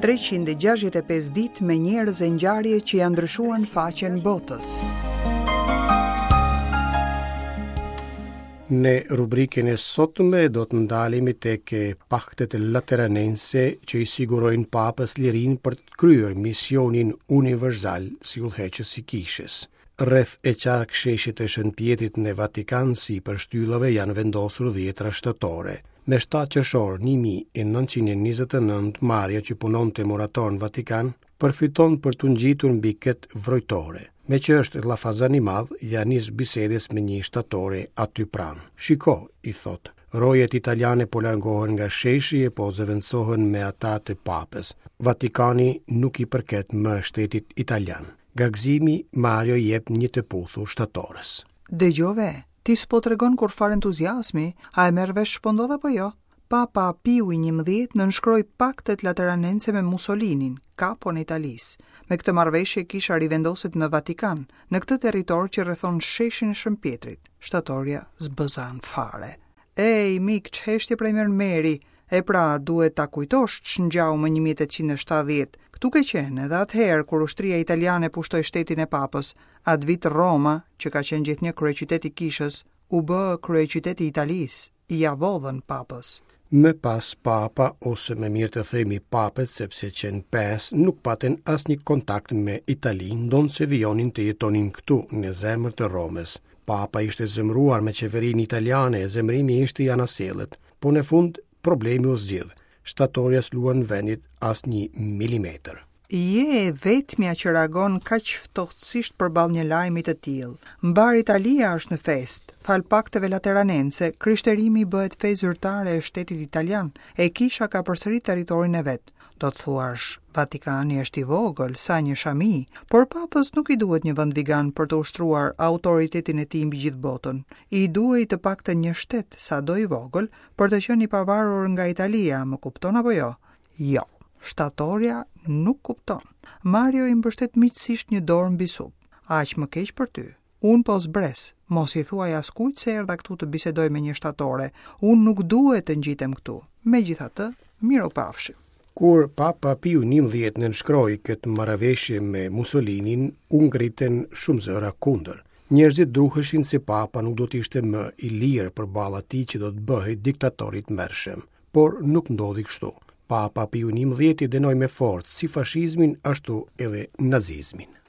365 ditë me njerëz e ngjarje që ia ndryshuan faqen botës. Në rubrikën e sotme do të ndalemi tek paktet lateranense që i sigurojnë papës lirinë për të kryer misionin universal si udhëheqës i kishës. Rreth e qark sheshit të Shën Pjetrit në Vatikan sipër shtyllave janë vendosur dhjetra shtatore. Me 7 qershor 1929 Mario që punonte murator në Vatikan, përfiton për t'u ngjitur mbi këtë vrojtore. Meqë është llafazan i madh, ia nis bisedës me një shtatore aty pranë. Shiko, i thotë, rojet italiane po largohen nga sheshi e po zëvendësohen me ata të papës. Vatikani nuk i përket më shtetit italian. Nga gëzimi, Mario i jep një të puthur shtatores. Dëgjove, ti s'po tregon kurrfarë entuziazmi, a e merr vesh ç'po ndodh apo jo? Papa Piu i njëmbëdhjetë nënshkroi paktet lateranense me Musolinin, kapon e Italisë. Me këtë marrëveshje kisha rivendoset në Vatikan, në këtë territor që rrethon sheshin e Shën Pjetrit. Shtatorja s'bëzan fare. Ej, mik, ç'heshtje prej mermeri! E pra, duhet ta kujtosh ç'ngjau më 1870. Këtu ke qenë edhe atëherë kur ushtria italiane pushtoi shtetin e papës. Atë vit Roma, që ka qenë gjithnjë kryeqytet i kishës, u bë kryeqytet i Italisë. Ia vodhën papës. Më pas papa, ose më mirë të themi papët, sepse qenë pesë, nuk patën asnjë kontakt me Italinë, ndonëse vijonin të jetonin këtu, në zemër të Romës. Papa ishte zemëruar me qeverinë italiane e zemërimi ishte i anasjellët. Po në fund, problemi u zgjidh. Shtatorja s'luan vendit as një milimetër. Je e vetmja që reagon kaq ftohtësisht përballë një lajmi të tillë. Mbarë Italia është në festë. Falë pakteve lateranense, krishterimi bëhet fe zyrtare e shtetit italian, e kisha ka përsëri territorin e vet. Do të thuash, Vatikani është i vogël, sa një shami, por papës nuk i duhet një vend vigan për të ushtruar autoritetin e tij mbi gjithë botën. I duhej të paktën një shtet, sado i vogël, për të qenë i pavarur nga Italia, më kupton apo jo? Jo, shtatorja nuk kupton. Mario i mbështet miqësisht një dorë mbi sup. Aq më keq për ty. Unë po zbres, mos i thuaj askujt se erdha këtu të bisedoj me një shtatore. Unë nuk duhet të ngjitem këtu. Megjithatë, mirupafshim. Kur Papa Piu 11 nënshkroi këtë marrëveshje me Mussolinin, u ngritën shumë zëra kundër. Njerëzit druheshin se Papa nuk do të ishte më i lirë përballë atij që do të bëhej diktator i tmerrshëm. Por nuk ndodhi kështu. Papa Piu 11 dënoi me forcë si fashizmin ashtu edhe nazizmin.